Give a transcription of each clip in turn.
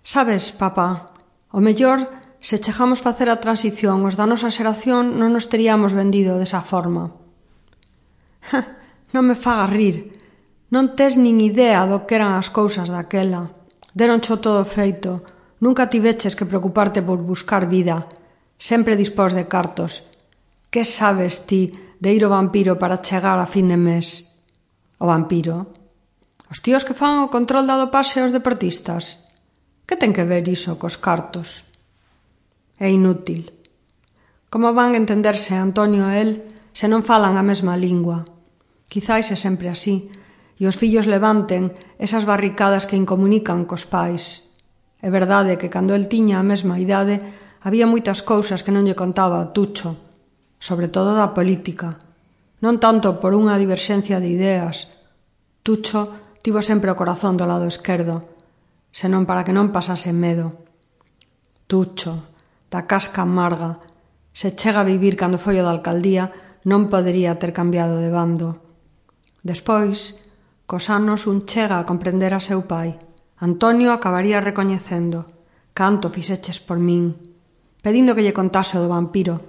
Sabes, papá, o mellor, se chegamos facer a transición os da nosa xeración non nos teríamos vendido desa forma. Non me fagas rir. Non tes nin idea do que eran as cousas daquela. Deroncho todo feito. Nunca tiveches que preocuparte por buscar vida. Sempre dispós de cartos. Que sabes ti de ir ao vampiro para chegar a fin de mes? O vampiro? Os tíos que fan o control da dopaxe aos deportistas? Que ten que ver iso cos cartos? É inútil. Como van entenderse Antonio e el se non falan a mesma lingua? Quizais é sempre así, e os fillos levanten esas barricadas que incomunican cos pais. É verdade que cando el tiña a mesma idade había moitas cousas que non lle contaba a Tucho, sobre todo da política. Non tanto por unha diverxencia de ideas. Tucho tivo sempre o corazón do lado esquerdo, senón para que non pasase medo. Tucho, da casca amarga, se chega a vivir cando foi o da alcaldía, non podería ter cambiado de bando. Despois, cos anos un chega a comprender a seu pai. Antonio acabaría recoñecendo: canto fixeches por min, pedindo que lle contase o do vampiro,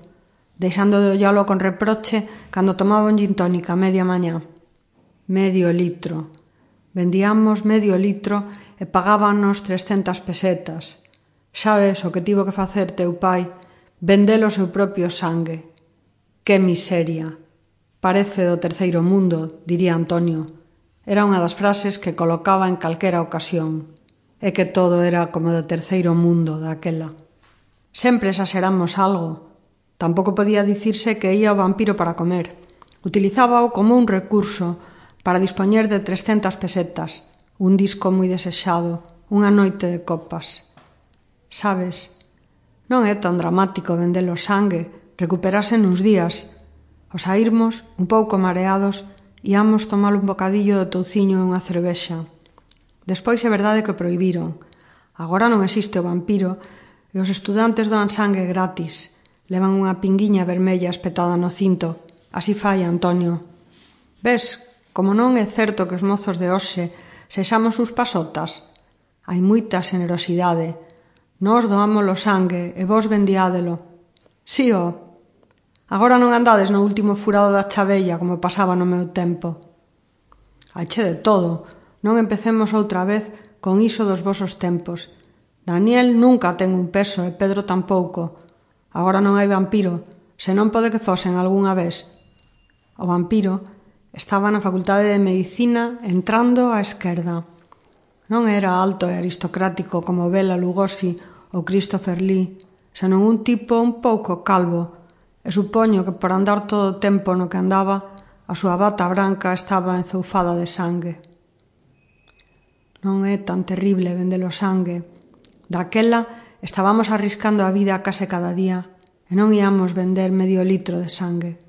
deixando de ollalo con reproche cando tomaba un gin tónica a media mañá. Medio litro. Vendíamos medio litro e pagábanos 300 pesetas. Sabes o que tivo que facer teu pai? Vendelo o seu propio sangue. Que miseria. Parece do terceiro mundo, diría Antonio. Era unha das frases que colocaba en calquera ocasión. É que todo era como do terceiro mundo daquela. Sempre exageramos algo. Tampouco podía dicirse que ía ao vampiro para comer. Utilizábao como un recurso para dispoñer de 300 pesetas, un disco moi desexado, unha noite de copas. Sabes, non é tan dramático vendelo sangue, recuperase nuns días. Ao saírmos, un pouco mareados, íamos tomar un bocadillo do touciño e unha cervexa. Despois é verdade que o prohibiron. Agora non existe o vampiro e os estudantes doan sangue gratis. Levan unha pinguiña vermella espetada no cinto. Así fai Antonio. Ves, como non é certo que os mozos de hoxe sexamos uns pasotas? Hai moita xenerosidade. Nós doamos o sangue e vos vendiádelo. Si, ó. Agora non andades no último furado da chavella como pasaba no meu tempo. Haiche de todo. Non empecemos outra vez con iso dos vosos tempos. Daniel nunca ten un peso e Pedro tampouco. Agora non hai vampiro, senón pode que fosen algunha vez. O vampiro estaba na Facultade de Medicina entrando á esquerda. Non era alto e aristocrático como Bela Lugosi ou Christopher Lee, senón un tipo un pouco calvo, e supoño que por andar todo o tempo no que andaba, a súa bata branca estaba enzoufada de sangue. Non é tan terrible vendelo sangue. Daquela estábamos arriscando a vida case cada día e non íamos vender medio litro de sangue.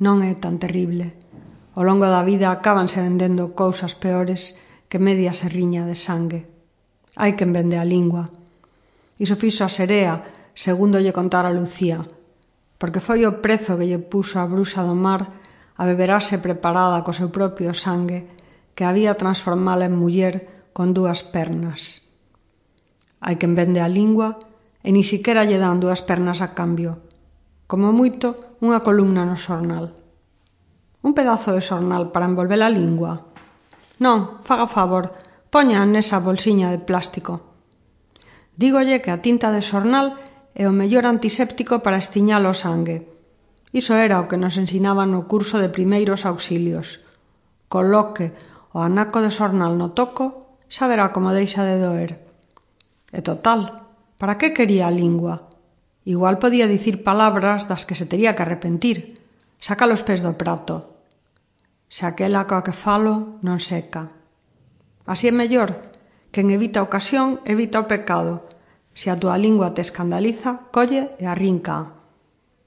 Non é tan terrible. Ao longo da vida acábanse vendendo cousas peores que media serriña de sangue. Hai quen vende a lingua. Iso fixo a Serea, segundo lle contara Lucía, porque foi o prezo que lle puxo a bruxa do mar a beberase preparada co seu propio sangue que había transformala en muller con 2 pernas. Hai quen vende a lingua e ni siquiera lle dan 2 pernas a cambio. Como moito, unha columna no xornal. Un pedazo de xornal para envolver a lingua? Non, faga favor, poña nesa bolsiña de plástico. Dígolle que a tinta de xornal é o mellor antiséptico para estiñar o sangue. Iso era o que nos ensinaban no curso de primeiros auxilios. Coloque o anaco de xornal no toco, xa verá como deixa de doer. E total, para que quería a lingua? Igual podía dicir palabras das que se tería que arrepentir. Saca os pés do prato. Se aquela coa que falo non seca. Así é mellor. Quen evita a ocasión, evita o pecado. Se a túa lingua te escandaliza, colle e arrinca.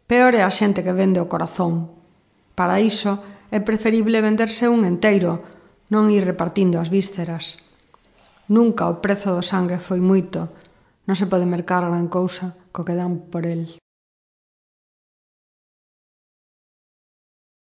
Peor é a xente que vende o corazón. Para iso é preferible venderse un enteiro, non ir repartindo as vísceras. Nunca o prezo do sangue foi moito. Non se pode mercar gran cousa co que dan por el.